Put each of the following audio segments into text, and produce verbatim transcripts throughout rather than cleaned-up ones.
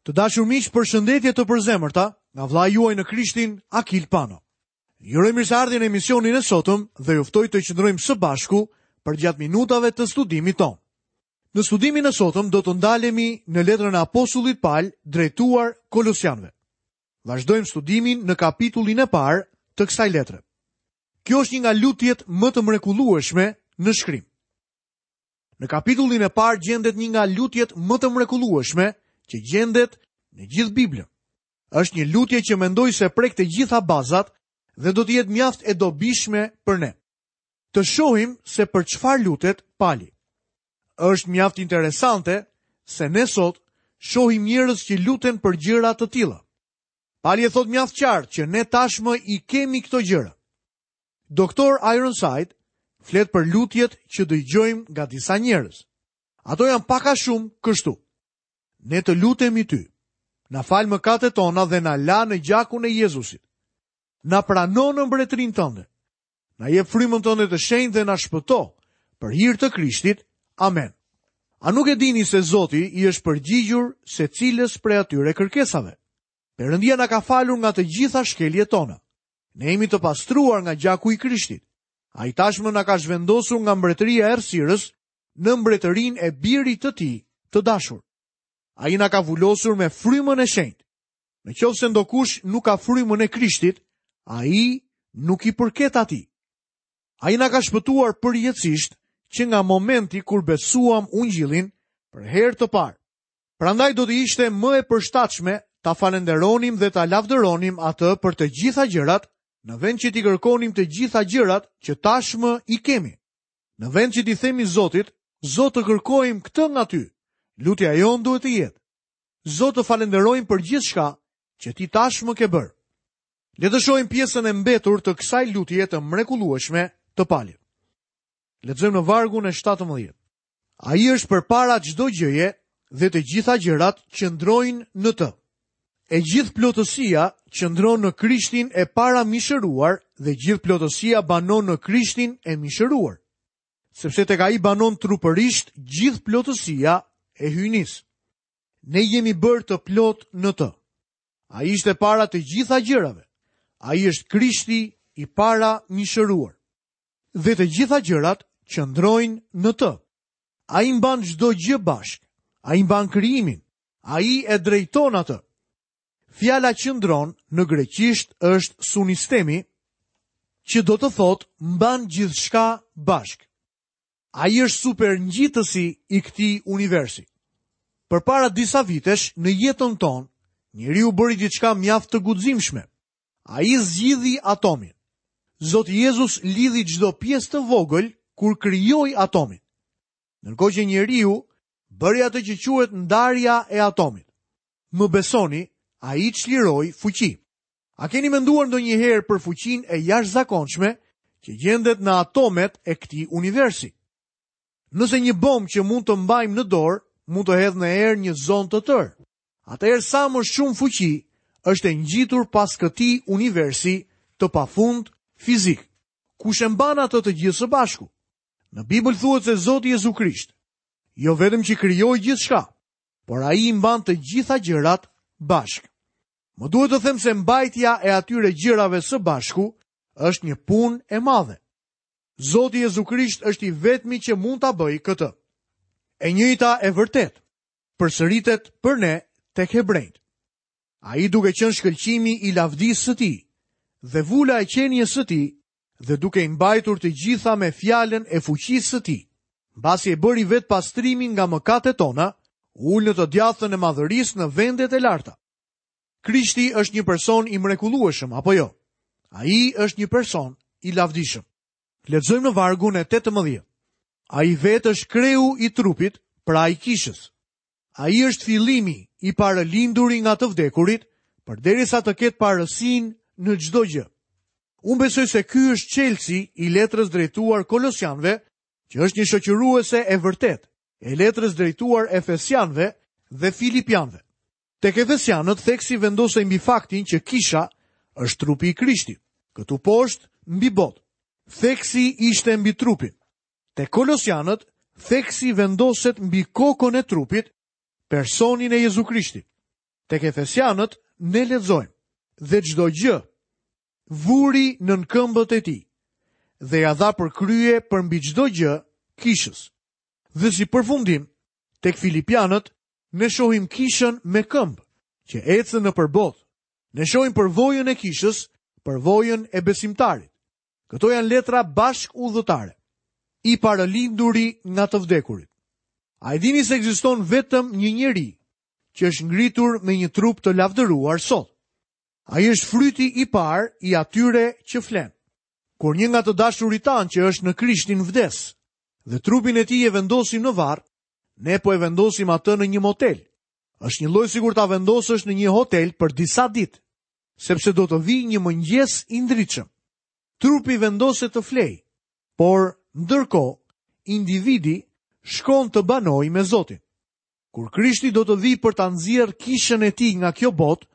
Të dashur miq, përshëndetje të përzemërta nga vëllai juaj në Krishtin, Akil Pano. Ju uroj mirëseardhjen në emisionin e sotëm dhe ju ftoj të qëndrojmë së bashku përgjatë minutave të studimit tonë. Në studimin e sotëm do të ndalemi në letrën e apostullit Pal drejtuar Kolosianëve. Vazhdojmë studimin në kapitullin e parë të kësaj letre. Kjo është një nga lutjet më të mrekullueshme në shkrim. Në kapitullin e parë gjendet një nga lutjet më të mrekullueshme që gjendet në gjithë Biblën. Është një lutje që mendoj se prek të gjitha bazat dhe do të jetë mjaft e dobishme për ne. Të shohim se për çfarë lutet Pali. Është mjaft interesante se ne sot shohim njerëz që luten për gjëra të tilla. Pali e thot mjaft qartë që ne tashmë i kemi këto gjëra. Doktor Ironside flet për lutjet që dëgjojmë nga disa njerëz. Ato janë pak a shumë kështu. Ne të lutemi ty. Na fal mëkatet tona dhe na la në gjakun e Jezusit. Na prano në mbretërinë tënde. Na jep frymën tënde të shenjtë dhe na shpëto. Për hir të Krishtit. Amen. A nuk e dini se Zoti i është përgjigjur secilës prej atyre kërkesave? Perëndia na ka falur nga të gjitha shkeljet tona. Ne jemi të pastruar nga gjaku i Krishtit. Ai tashmë na ka zhvendosur nga mbretëria e errësirës në mbretërinë e birit të tij të dashur. Ai na ka vulosur me frymën e shenjtë. Në qoftë se ndokush nuk ka frymën e Krishtit, ai nuk i përket atij. Ai na ka shpëtuar përjetësisht që nga momenti kur besuam ungjillin për herë të parë. Prandaj do të ishte më e përshtatshme ta falenderonim dhe ta lavdëronim atë për të gjitha gjërat, në vend që t'i kërkonim të gjitha gjërat që tashmë i kemi. Në vend që t'i themi Zotit, Zot, të kërkojmë këtë nga ty, lutja jonë duhet të jetë: Zot, të falenderojmë për gjithçka që ti tashmë ke bërë. Le të shohim pjesën e mbetur të kësaj lutje të mrekullueshme të Palit. Lexojmë në vargun e shtatëmbëdhjetë. Ai është përpara çdo gjëje dhe të gjitha gjërat qëndrojnë në të. E gjithë plotësia qëndron në Krishtin e para mishëruar dhe gjithë plotësia banon në Krishtin e mishëruar. Sepse tek ai banon trupërisht gjithë plotësia e hyjnisë. Ne jemi bërë të plot në të. Ai ishte para të gjitha gjërave. Ai është Krishti i para mishëruar. Dhe të gjitha gjërat qëndrojnë në të. Ai mban çdo gjë bashkë. Ai mban krijimin. Ai e drejton atë. Fjala qëndron në greqisht është sunistemi, që do të thotë mban gjithçka bashkë. Ai është superngjitësi i këtij universi. Përpara disa vitesh në jetën tonë, njeriu bëri diçka mjaft të guximshme. Ai zgjidhi atomin. Zoti Jezus lidhi çdo pjesë të vogël kur krijoi atomin. Ndërkohë që njeriu bëri atë që quhet ndarja e atomit. Më besoni, ai çliroi fuqi. A keni menduar ndonjëherë për fuqinë e jashtëzakonshme që gjendet në atomet e këtij universi? Nëse një bombë që mund të mbajmë në dorë mund të hedhë në erë një zonë të tërë, atëherë sa më shumë fuqi është e ngjitur pas këtij universi të pafund fizik. Kush e mban atë të gjithë së bashku? Në Bibël thuhet se Zoti Jezu Krisht jo vetëm që krijoi gjithçka, por ai i mban të gjitha gjërat bashkë. Më duhet të them se mbajtja e atyre gjërave së bashku është një punë e madhe. Zoti Jezu Krisht është i vetmi që mund ta bëjë këtë. E njëjta e vërtet përsëritet për ne tek hebrejt. Ai duke qenë shkëlqimi i lavdisë së tij dhe vula e qenies së tij dhe duke i mbajtur të gjitha me fjalën e fuqisë së tij, mbasi e bëri vetë pastrimin nga mëkatet tona, u ul në të djathtën e madhërisë në vendet e larta. Krishti është një person i mrekullueshëm, apo jo? Ai është një person i lavdishëm. Lexojmë në vargun e tetëmbëdhjetë. Ai vetë është kreu i trupit, pra i kishës. Ai është fillimi i parëlinduri nga të vdekurit, përderisa të ketë parësinë në çdo gjë. Unë besoj se ky është çelësi i letrës drejtuar Kolosianëve, që është një shoqëruese e vërtetë e letrës drejtuar Efesianëve dhe Filipianëve. Tek Efesianët theksi vendosej mbi faktin që kisha është trupi i Krishtit, këtu poshtë mbi botë. Theksi ishte mbi trupin. Te Kolosianët theksi vendoset mbi kokën e trupit, personin e Jezu Krishtit. Tek Efesianët ne lexojmë: "Dhe çdo gjë vuri nën këmbët e tij dhe ja dha për krye përmbi çdo gjë kishës." Dhe si përfundim, tek Filipianët ne shohim kishën me këmbë që ecën nëpër botë. Ne shohim përvojën e kishës, përvojën e besimtarit. Këto janë letra bashkudhëtare. I paralinduri nga të vdekurit. A e dini se ekziston vetëm një njeri që është ngritur me një trup të lavdëruar sot? Ai është fryti i parë i atyre që flen. Kur një nga të dashurit tanë që është në Krishtin vdes dhe trupin e tij e vendosim në varr, ne po e vendosim atë në një motel. Është një lloj sikur ta vendosësh në një hotel për disa ditë, sepse do të vijë një mëngjes i ndritshëm. Trupi vendoset të flej, por ndërkohë individi shkon të banojë me Zotin. Kur Krishti do të vijë për ta nxjerrë kishën e tij nga kjo botë,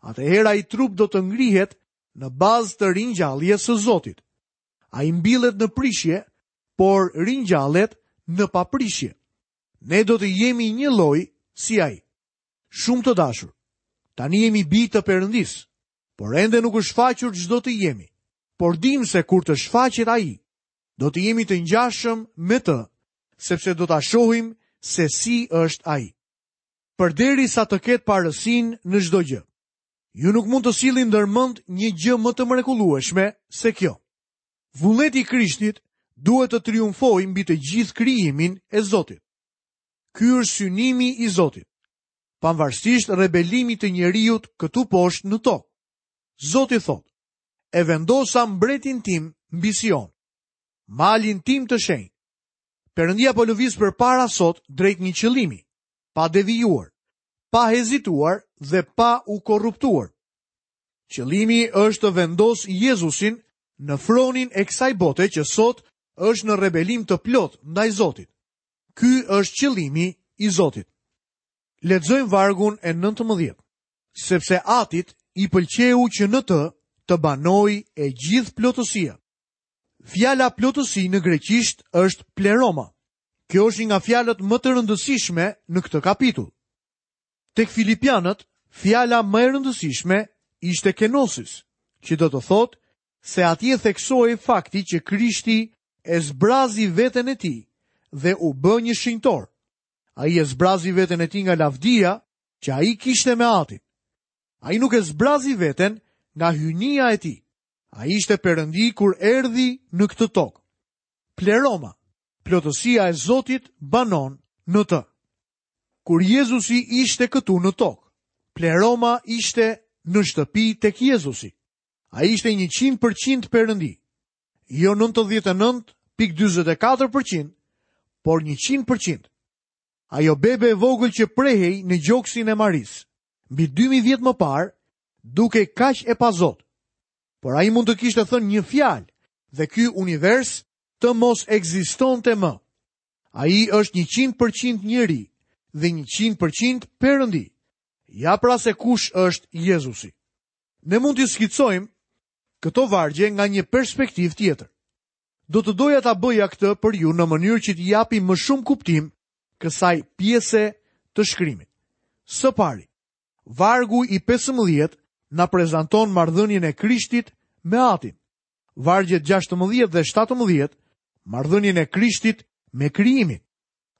atëherë ai trup do të ngrihet në bazë të ringjalljes së Zotit. Ai mbillet në prishje, por ringjallet në paprishje. Ne do të jemi një lloj si ai. Shumë të dashur, tani jemi bij të Perëndisë, por ende nuk është shfaqur ç'do të jemi. Por dim se kur të shfaqet ai, do të jemi të ngjashëm me të, sepse do ta shohim se si është ai. Përderisa të ketë parësinë në çdo gjë. Ju nuk mund të sillni ndërmend një gjë më të mrekullueshme se kjo. Vullneti i Krishtit duhet të triumfojë mbi të gjithë krijimin e Zotit. Ky është synimi i Zotit, pavarësisht rebelimit të njeriut këtu poshtë në tokë. Zoti thotë: "E vendosa mbretin tim mbi Sion, malin tim të shenjtë." Perëndia po lëviz përpara sot drejt një qëllimi, pa devijuar, pa hezituar dhe pa u korruptuar. Qëllimi është të vendos Jezusin në fronin e kësaj bote që sot është në rebelim të plot ndaj Zotit. Ky është qëllimi i Zotit. Lexojmë vargun e nëntëmbëdhjetë. Sepse Atit i pëlqeu që në të të banojë e gjithë plotësia. Fjala plotësi në greqisht është pleroma. Kjo është një nga fjalët më të rëndësishme në këtë kapitull. Tek Filipianët, fjala më e rëndësishme ishte kenosis, që do të thotë se atje theksohej fakti që Krishti e zbrazi veten e tij dhe u bë një shenjtor. Ai e zbrazi veten e tij nga lavdia që ai kishte me Atin. Ai nuk e zbrazi veten nga hyjnia e tij. Ai ishte Perëndi kur erdhi në këtë tokë. Pleroma, plotësia e Zotit banon në të. Kur Jezusi ishte këtu në tokë, pleroma ishte në shtëpi tek Jezusi. Ai ishte njëqind përqind Perëndi, jo nëntëdhjetë e nëntë pikë dyzet e katër përqind, por njëqind përqind. Ajo bebe e vogël që prehej në gjoksin e Marisë, mbi dy mijë vjet më parë, duke kaq e pazot. Por ai mund të kishte thënë një fjalë dhe ky univers të mos ekzistonte më. Ai është njëqind përqind njeri dhe njëqind përqind Perëndi. Ja pra se kush është Jezusi. Ne mund t'i skicojmë këto vargje nga një perspektivë tjetër. Do të doja ta bëja këtë për ju në mënyrë që t'i japim më shumë kuptim kësaj pjese të shkrimit. Së pari, vargu i pesëmbëdhjetë na prezanton marrëdhënien e Krishtit me Atin. Vargjet gjashtëmbëdhjetë dhe shtatëmbëdhjetë, marrëdhënien e Krishtit me krijimin.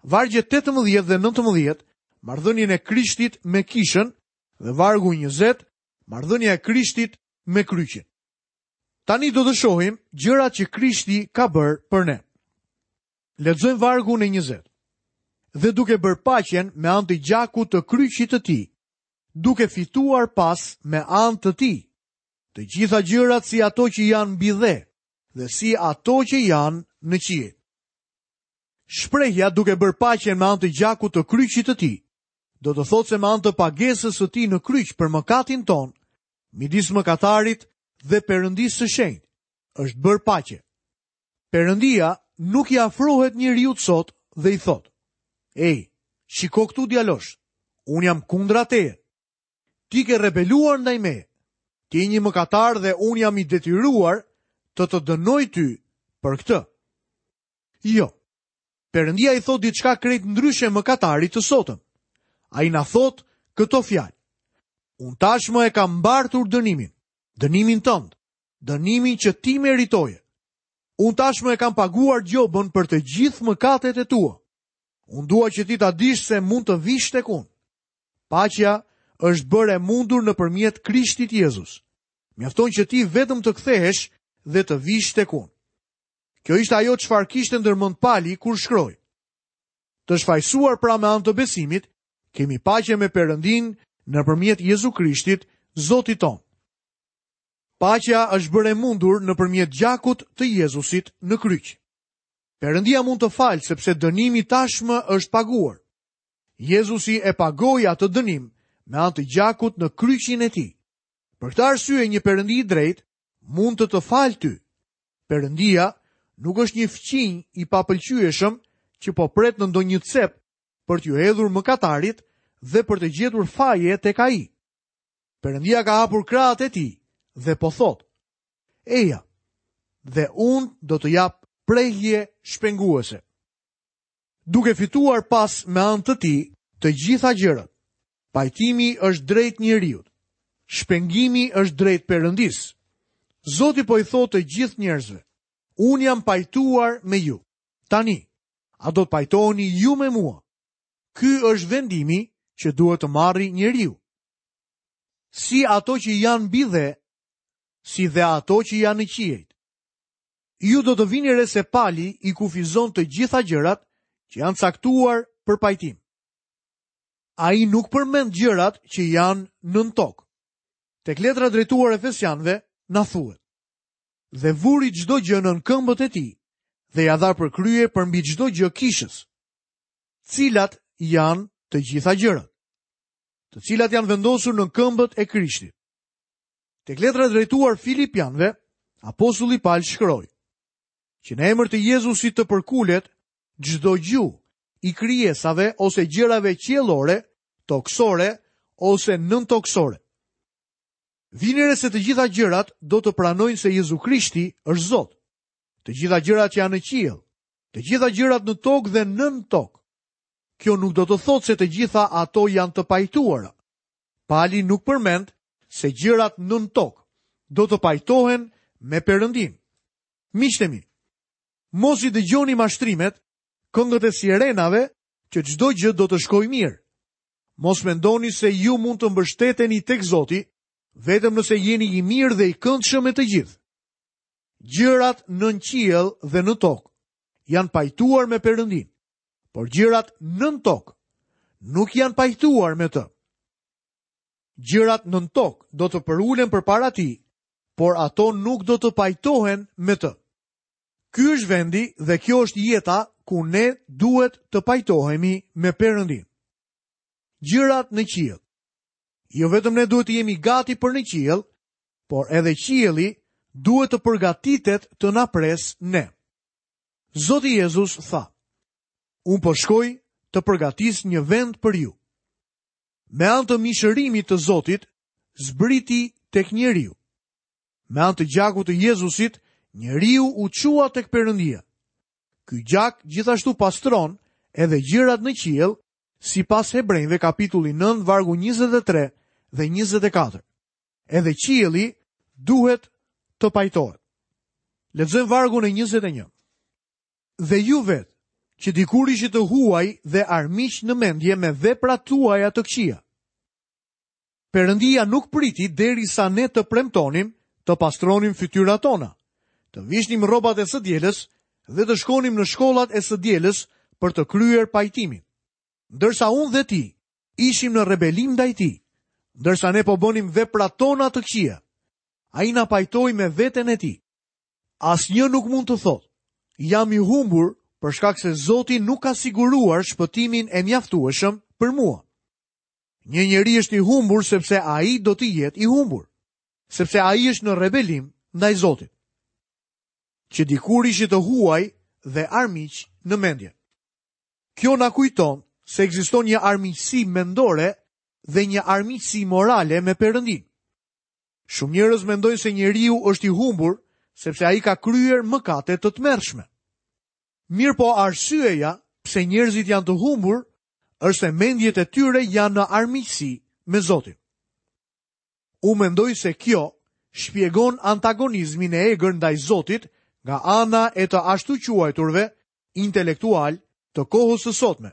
Vargjet tetëmbëdhjetë dhe nëntëmbëdhjetë, marrëdhënien e Krishtit me kishën, dhe vargu njëzet, marrëdhënia e Krishtit me kryqin. Tani do të shohim gjërat që Krishti ka bërë për ne. Lexojmë vargun e njëzet. Dhe duke bërë paqen me anë të gjakut të kryqit të tij, duke fituar pas me anë të tij, të gjitha gjërat si ato që janë mbi dhe, dhe si ato që janë në qiell. Shprehja duke bërë paqen me anë të gjakut të kryqit të tij, do të thotë se me anë të pagesës së tij në kryq për mëkatin ton, midis mëkatarit dhe Perëndisë së shenjtë, është bërë paqe. Perëndia nuk i afrohet njeriut sot dhe i thotë: Ej, shiko këtu djalosh, unë jam kundra teje. Ti ke rebeluar ndaj meje. Ti je një mëkatar dhe unë jam i detyruar të të dënoj ty për këtë. Jo. Perëndia i thot diçka krejt ndryshe mëkatarit të sotëm. Ai na thot këto fjalë: Unë tashmë e kam mbartur dënimin, dënimin tënd, dënimin që ti meritoje. Unë tashmë e kam paguar gjobën për të gjithë mëkatet e tua. Unë dua që ti ta dish se mund të vish tek unë. Paqja është bërë e mundur nëpërmjet Krishtit Jezus. Mjafton që ti vetëm të kthehesh dhe të vish tek unë. Kjo ishte ajo çfarë kishte ndërmend Pali kur shkroi. Të shfajsuar pra me anë të besimit, kemi paqe me Perëndin nëpërmjet Jezu Krishtit, Zotit tonë. Paqja është bërë e mundur nëpërmjet gjakut të Jezusit në kryq. Perëndia mund të falë sepse dënimi tashmë është paguar. Jezusi e pagoi atë dënim me anë të gjakut në kryqin e tij. Për këtë arsye një Perëndi i drejtë mund të të falë ty. Perëndia nuk është një fqinj i papëlqyeshëm që po pret në ndonjë cep për t'ju hedhur mëkatarit dhe për të gjetur faje tek ai. Perëndia ka hapur krahët e tij dhe po thotë: Eja, dhe unë do të jap prehje shpenguese. Duke fituar pas me anë të tij të gjitha gjërat. Pajtimi është drejt njeriut. Shpengimi është drejt Perëndisë. Zoti po i thotë të gjithë njerëzve: Unë jam pajtuar me ju. Tani, a do të pajtoheni ju me mua? Ky është vendimi që duhet të marrë njeriu. Si ato që janë mbi dhe, si dhe ato që janë në qiejt. Ju do të vini re se Pali i kufizon të gjitha gjërat që janë caktuar për pajtim. Ai nuk përmend gjërat që janë nën tokë. Tek letra drejtuar Efesianëve na thuhet: Dhe vuri çdo gjë nën këmbët e tij dhe ja dha për krye përmbi çdo gjë kishës. Cilat janë të gjitha gjërat, të cilat janë vendosur në këmbët e Krishtit. Tek letra drejtuar Filipianëve, apostulli Paul shkroi: që në emër të Jezusit të përkulet çdo gjuhë i krijesave ose gjërave qiellore, tokësore ose nëntokësore. Vini re se të gjitha gjërat do të pranojnë se Jezu Krishti është Zot. Të gjitha gjërat që janë në qiell, të gjitha gjërat në tokë dhe nën tokë. Kjo nuk do të thotë se të gjitha ato janë të pajtuara. Pali nuk përmend se gjërat nën tokë do të pajtohen me Perëndin. Miqtë mi, mos i dëgjoni mashtrimet, këngët e sirenave, që çdo gjë do të shkojë mirë. Mos mendoni se ju mund të mbështeteni tek Zoti, vetëm nëse jeni i mirë dhe i këndshëm me të gjithë. Gjërat nën qiell dhe në tokë janë pajtuar me Perëndin, por gjërat nën tokë nuk janë pajtuar me të. Gjërat nën tokë do të përulen përpara tij, por ato nuk do të pajtohen me të. Ky është vendi dhe kjo është jeta ku ne duhet të pajtohemi me Perëndin. Gjërat në qiell. Jo vetëm ne duhet të jemi gati për në qiell, por edhe qielli duhet të përgatitet të na pres ne. Zoti Jezus tha: Unë po shkoj të përgatis një vend për ju. Me anë të mishërimit të Zotit, zbriti tek njeriu. Me anë të gjakut të Jezusit, njeriu u çua tek Perëndia. Ky gjak gjithashtu pastron edhe gjërat në qiell, sipas Hebrejve kapitulli nëntë vargu njëzet e tre dhe njëzet e katër. Edhe qielli duhet të pajtohet. Lexojmë vargun e njëzet e një. Dhe ju vetë, që dikur ishit të huaj dhe armiq në mendje me veprat tuaja të këqija. Perëndia nuk priti derisa ne të premtonim, të pastronim fytyrat tona, të vishnim rrobat e së dielës dhe të shkonim në shkollat e së dielës për të kryer pajtimin. Ndërsa unë dhe ti ishim në rebelim ndaj tij, ndërsa ne po bënim veprat tona të këqija, ai na pajtoi me veten e tij. Asnjë nuk mund të thotë, jam i humbur për shkak se Zoti nuk ka siguruar shpëtimin e mjaftueshëm për mua. Një njeri është i humbur sepse ai do të jetë i humbur, sepse ai është në rebelim ndaj Zotit. Që dikur ishit të huaj dhe armiq në mendje. Kjo na kujton se ekziston një armiqësi mendore dhe një armiqësi morale me Perëndin. Shumë njerëz mendojnë se njeriu është i humbur sepse ai ka kryer mëkate të tmerrshme. Mirë po arsyeja pse njerëzit janë të humbur është se mendjet e tyre janë në armiqësi me Zotin. Unë mendoj se kjo shpjegon antagonizmin e egër ndaj Zotit nga ana e të ashtuquajturve intelektual të kohës së sotme.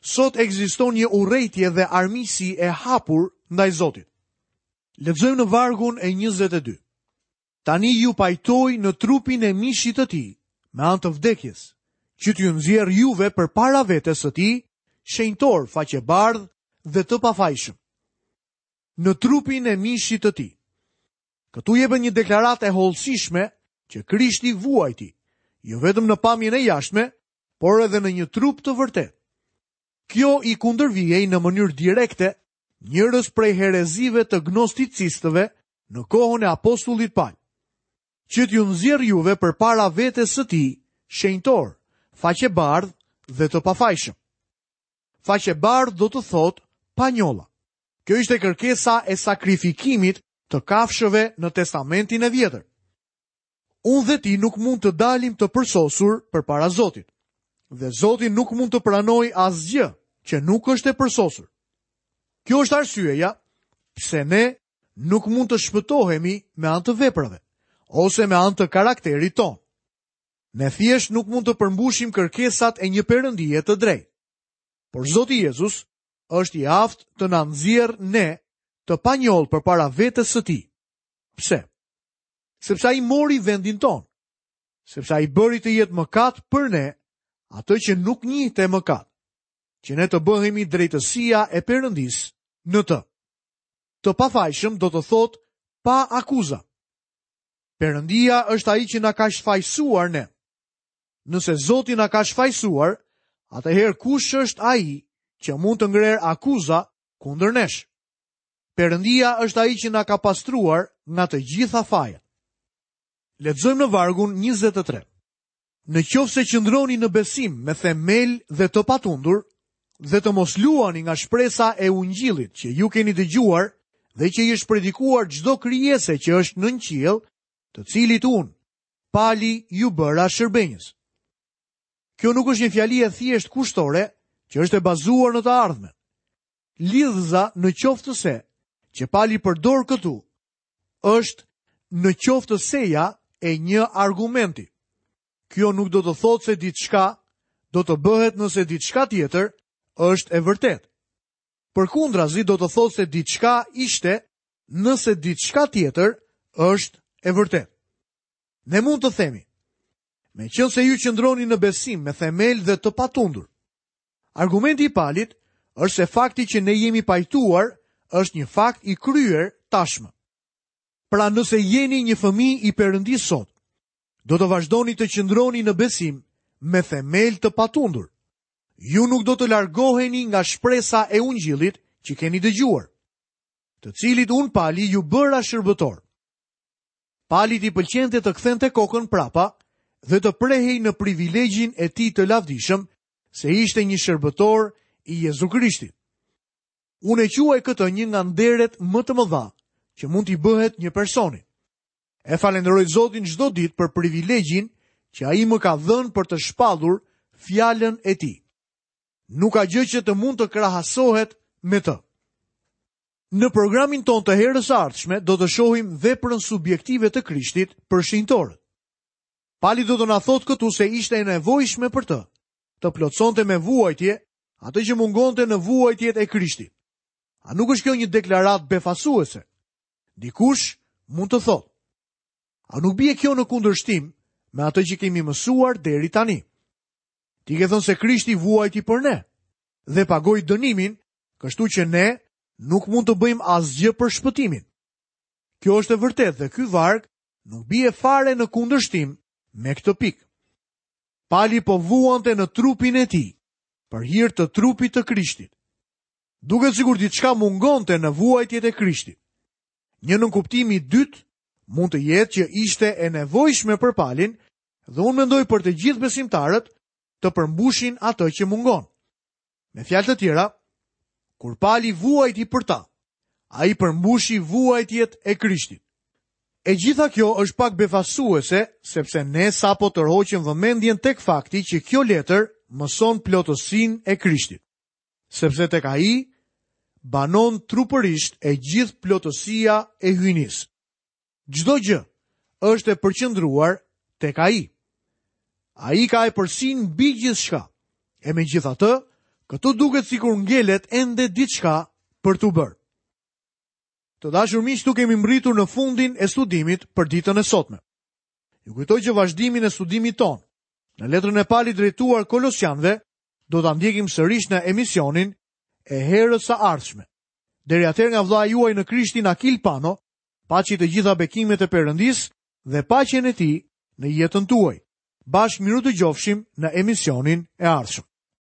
Sot ekziston një urrejtje dhe armiqësi e hapur ndaj Zotit. Lexojmë në vargun e njëzet e dy. Tani ju pajtoj në trupin e mishit të tij, me anë të vdekjes, që t'ju nxjerr juve përpara vetes së tij, shenjtor, faqebardh dhe të pafajshëm. Në trupin e mishit të tij. Këtu jepet një deklaratë e hollësishme që Krishti vuajti, jo vetëm në pamjen e jashtme, por edhe në një trup të vërtetë. Kjo i kundërvihej në mënyrë direkte njërës prej herezive të gnosticistëve në kohën e apostullit Paul. Që t'ju nxjerr juve përpara vetes së tij, shenjtor, faqebardh dhe të pafajshëm. Faqebardh do të thotë pa njolla. Kjo ishte kërkesa e sakrifikimit të kafshëve në Testamentin e Vjetër. Unë dhe ti nuk mund të dalim të përsosur përpara Zotit. Dhe Zoti nuk mund të pranojë asgjë që nuk është e përsosur. Kjo është arsyeja pse ne nuk mund të shpëtohemi me anë të veprave ose me anë të karakterit tonë. Ne thjesht nuk mund të përmbushim kërkesat e një perëndie të drejtë. Por Zoti Jezus është i aftë të na nxjerrë ne të panjollë përpara vetes së tij. Pse? Sepse ai mori vendin tonë. Sepse ai bëri të jetë mëkat për ne atë që nuk njihte mëkat, që ne të bëhemi drejtësia e Perëndisë në të. Të pafajshëm do të thotë pa akuza. Perëndia është ai që na ka shfajësuar ne. Nëse Zoti na ka shfajësuar, atëherë kush është ai që mund të ngrerë akuza kundër nesh? Perëndia është ai që na ka pastruar nga të gjitha fajet. Lexojmë në vargun njëzet e tre. Në qoftë se qëndroni në besim me themel dhe të patundur, dhe të mos luani nga shpresa e ungjillit që ju keni dëgjuar dhe që i është predikuar çdo krijese që është nën qiell, të cilit unë, Pali, ju bëra shërbenjës. Kjo nuk është një fjali e thjeshtë kushtore që është e bazuar në të ardhmen. Lidhza në qoftë se që Pali përdor këtu është në qoftë seja e një argumenti. Kjo nuk do të thotë se diçka do të bëhet nëse diçka tjetër është e vërtetë. Përkundrazi do të thotë se diçka ishte nëse diçka tjetër është e vërtetë. Ne mund të themi, meqenëse ju qëndroni në besim me themel dhe të patundur. Argumenti i Palit është se fakti që ne jemi pajtuar është një fakt i kryer tashmë. Pra nëse jeni një fëmijë i Perëndisë sot, do të vazhdoni të qëndroni në besim me themel të patundur. Ju nuk do të largoheni nga shpresa e ungjillit që keni dëgjuar, të cilit unë Pali ju bëra shërbëtor. Palit i pëlqente të kthente kokën prapa dhe të prehej në privilegjin e tij të lavdishëm se ishte një shërbëtor i Jezu Krishtit. Unë e quaj këtë një nga nderet më të mëdha që mund t'i bëhet një personi. E falenderoj Zotin çdo ditë për privilegjin që ai më ka dhënë për të shpallur fjalën e tij. Nuk ka gjë që të mund të krahasohet me të. Në programin tonë të herës së ardhshme do të shohim veprën subjektive të Krishtit për shenjtorët. Pali do të na thotë këtu se ishte e nevojshme për të të plotësonte me vuajtje atë që mungonte në vuajtjet e Krishtit. A nuk është kjo një deklaratë befasuese? Dikush mund të thotë, a nuk bie kjo në kundërshtim me atë që kemi mësuar deri tani? Ti ke thënë se Krishti vuajti për ne dhe pagoi dënimin, kështu që ne nuk mund të bëjmë asgjë për shpëtimin. Kjo është e vërtetë dhe ky varg nuk bie fare në kundërshtim me këtë pikë. Pali po vuante në trupin e tij, për hir të trupit të Krishtit. Duket sikur diçka mungonte në vuajtjet e Krishtit. Një nënkuptim i dytë mund të jetë që ishte e nevojshme për Palin dhe unë mendoj për të gjithë besimtarët të përmbushin atë që mungon. Me fjalë të tjera, kur Pali vuajti për ta, ai përmbushi vuajtjet e Krishtit. E gjitha kjo është pak befasuese, sepse ne sapo tërhoqëm vëmendjen tek fakti që kjo letër mëson plotësinë e Krishtit. Sepse tek ai banon trupërisht e gjithë plotësia e hyjnisë. Çdo gjë është e përqendruar tek ai. Ai ka epërsinë mbi gjithçka. E megjithatë, këtu duket sikur ngelet ende diçka për t'u bërë. Të dashur miq, këtu kemi mbërritur në fundin e studimit për ditën e sotme. Ju kujtoj që vazhdimin e studimit tonë në letrën e Palit drejtuar Kolosianëve do ta ndjekim sërish në emisionin e herës së ardhshme. Deri atëherë nga vëllai juaj në Krishtin Akil Pano, paçi të gjitha bekimet e Perëndisë dhe paqen e tij në jetën tuaj. Bashkë mirudëgjofshim në emisionin e ardhshëm.